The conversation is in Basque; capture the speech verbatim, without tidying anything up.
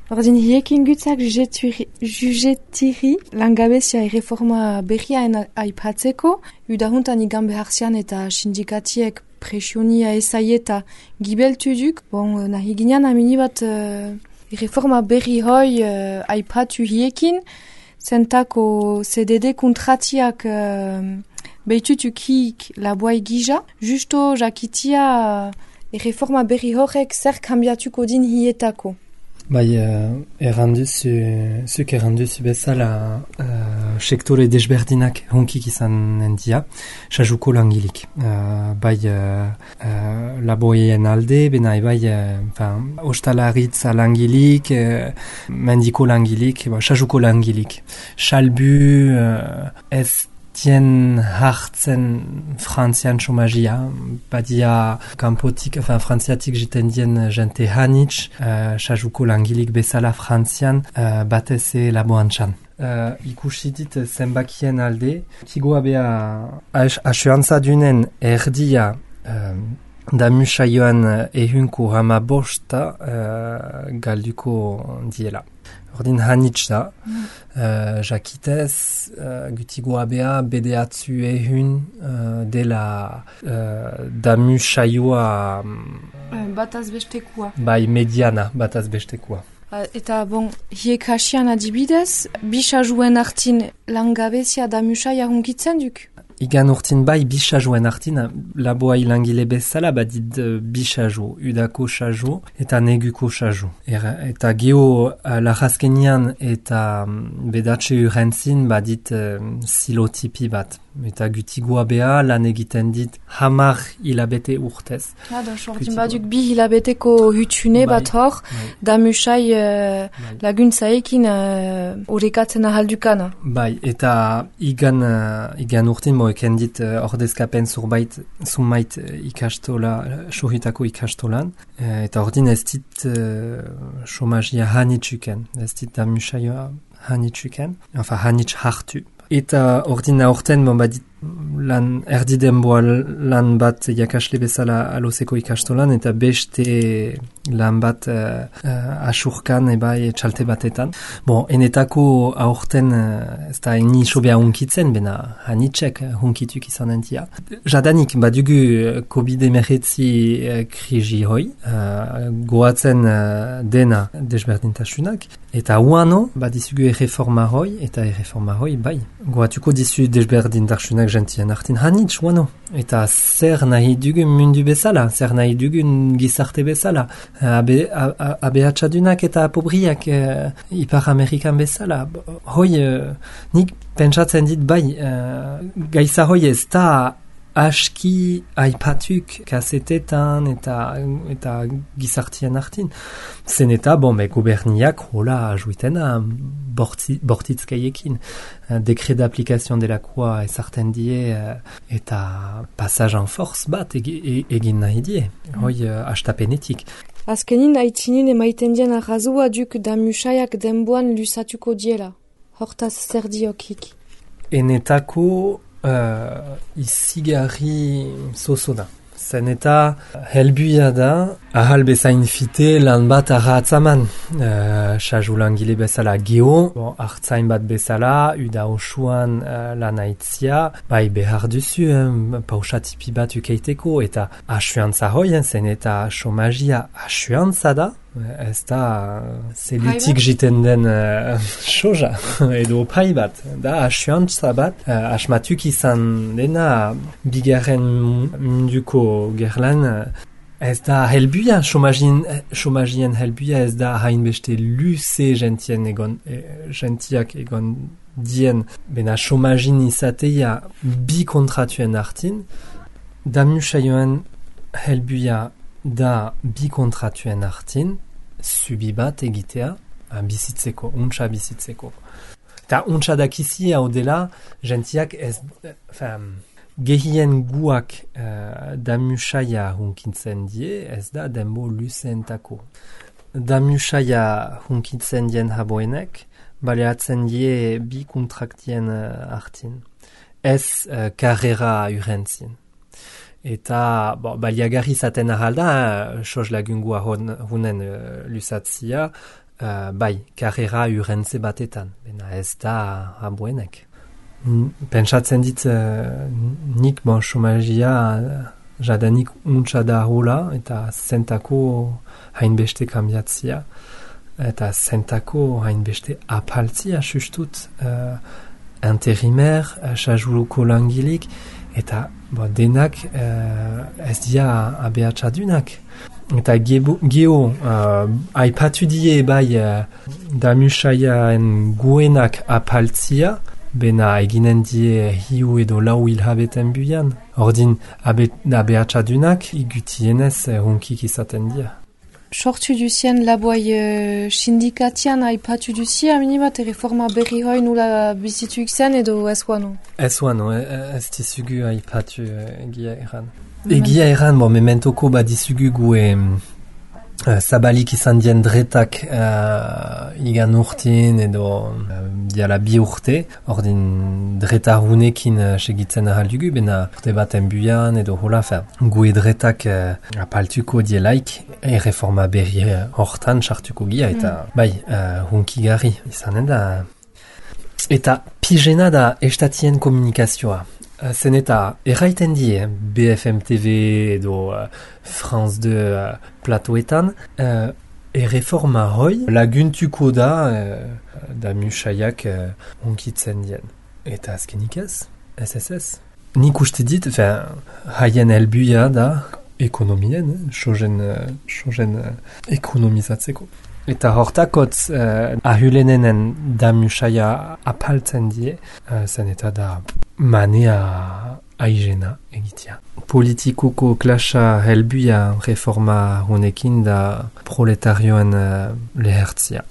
Ordin hiekin gutzak jugetiri langabezia erreforma berriaen aipatzeko, udahuntan igan beharzian eta sindikatiek presionia ezaieta gibeltu duk, bon, nahi ginean amini bat uh, erreforma berri hoi uh, aipatu hiekin, zentako C D D kontratiak uh, behitutuk hiik laboai gija, justo jakitia uh, erreforma berri horrek zer kambiatuko din hietako. Bai, uh, erranduzu, zuk erranduzu bezala uh, sektore desberdinak honkik izan endia, sajuko langilik. Uh, bai, uh, uh, laboien alde, bena bai, uh, ostalaritza langilik, uh, mendiko langilik, ba, sajuko langilik. Salbu uh, ez tien hartzen frantzian chomajia, badia kanpotik, enfin frantziatik jiten dien jente hanitz, uh, sajuko langilik bezala frantzian, uh, bateze laboan txan. Uh, ikusi dit zenbakien alde, kigoa bea asuantza dunen erdia uh, damusa joan ehunko hama bosta uh, galduko diela. Ordin hanitz da, mm. uh, jakitez, uh, gutigoa bea bedeatzu ehun uh, dela uh, damu saioa um, bataz bestekua. Bai, mediana bataz bestekua. Uh, eta bon, hiek hasian adibidez, bisajuen artin langabezia damu saia hunkitzen duk? Igan urtin bai bisajuen artin, laboai langile bezala badid uh, bisaju, udako saju eta neguko saju. Er, eta geho uh, lajazkenian eta um, bedatxe urentzin badit uh, silotipi bat. Eta gutigoa bea lan egiten dit hamar hilabete urtez. Ah, da, sortin baduk bi hilabeteko hutune bai, bat hor, bai. Damusai uh, bai. Laguntzaekin uh, horrekatzen ahaldukana. Bai, eta igan, uh, igan urtin moeken dit uh, ordezkapen zurbait, zumait uh, ikastola, sohitako ikastolan. Uh, eta ordin ez dit uh, chomajia hanitzuken, ez dit damusaioa hanitzuken, enfin hanitz hartu. Eta ordina orten, bon, badit, lan erdi denboa lan bat jakasle bezala aloseko ikastolan, eta beste lan bat uh, uh, asurkan ebai txalte batetan. Bon, enetako aurten uh, ez da eni sobea hunkitzen, bena hanitzek hunkituk izan entia. Jadanik, badugu covid emeretzi uh, krisi hoi, uh, goatzen uh, dena desberdintasunak, eta uano, badizugu erreforma hoi, eta erreforma hoi, bai. Goatuko dizu desberdintasunak gentien artin hanitz, uano. Eta zer nahi dugun mundu bezala, zer nahi dugun gizarte bezala. Abe, abeatxadunak eta apobriak uh, Ipar Amerikan bezala. Hoi, uh, nik pentsatzen dit bai, uh, gaiza hoi ez da aski aipatuk kasetetan eta, eta gizartien artin. Zen eta, bon, me goberniak hola ajuitena borti, bortitzkaiekin. Dekret d'application delakoa ezarten die eta passage en force bat egin nahi die. Hoi, hastapenetik. Azkenin aitzinin emaiten dien arrazua duk damusaiak denboan lusatuko diela. Hortaz zer diokik. Enetako Uh, izigarri zozo da. Zen eta helbuia da ahal bezain fite lan bat arratzaman. Uh, Saju langile bezala geho, bon, hartzain bat bezala, uda osuan uh, lan aitzia, bai behar duzu, um, pausatipi bat ukeiteko, eta asuantza hoien, zen eta chomajia asuantza da, ez da zelutik jiten den uh, soja, edo pai bat, da asuantza bat, uh, asmatuk izan dena bigarren munduko gerlan, uh, ez da helbuia, chomagien, chomagien helbuia ez da hainbeste luze gentien egon, e, gentiak egon dien, bena chomagin izateia bi kontratuen artin, damu saioen helbuia da bi kontratuen artin, subi bat egitea, bizitzeko, untsa bizitzeko. Ta untsa dakizi hau dela, gentiak ez, enfin, gehien guak uh, damusaia hunkintzen die, ez da denbo luzeentako. Damusaia hunkintzen dien haboenek, baleatzen die bi kontraktien uh, artin. Ez uh, karrera urentzin. Eta bo, baliagarri zaten ahalda, sos lagungua hunen uh, lusatzia, uh, bai, karrera urrentze batetan, bena ez da abuenek. Pentsatzen dit, uh, nik bon, chomajia jadanik untsa da hola, eta zentako hainbeste kambiatzia, eta zentako hainbeste apaltzia sustut, uh, interimer, sajuluko langilik, eta bo, denak uh, ez dia abeatxadunak. Eta gebo, geho, uh, aipatu die bai uh, damusaiaen guenak apaltzia, bena eginen die hiu edo lau hilhabeten buian. Ordin, abe, abeatxadunak igutienez uh, hunkik izaten dia. Sortu duzien laboai uh, sindikatian aipatu duzia, minibat, reforma berri hoi nula bizituik zen edo ez guano? Ez guano, ez dizugu aipatu uh, egia erran. Egia erran, bon, mementoko badizugu gue uh, zabalik izan dien dretak uh, igan urtien edo uh, diala bi urte, ordin dretarunekin uh, segitzen ahaldugu, bena urte baten buian edo hola, fer, gue dretak uh, apaltuko dielaik, e reforma berri hortan sartuko gia, eta mm. bai, uh, hunkigarri izanen da. Eta pijena da estatien komunikazioa. Zen eta erraiten die, B F M T V edo uh, France deux uh, platoetan, uh, erreforma hoi laguntuko da uh, da musaiak uh, onkitzen dien. Eta azkenik ez, ez ez ez. Nik uste dit, fin, haien helbuia da ekonomien, eh, sogen, uh, sogen uh, ekonomizatzeko. Eta hortakotz uh, ahulenenen da musaia apaltzen die, uh, zen eta da manea aigena egitea. Politikoko klasa helbuia reforma honekin da proletarioen uh, lehertzia.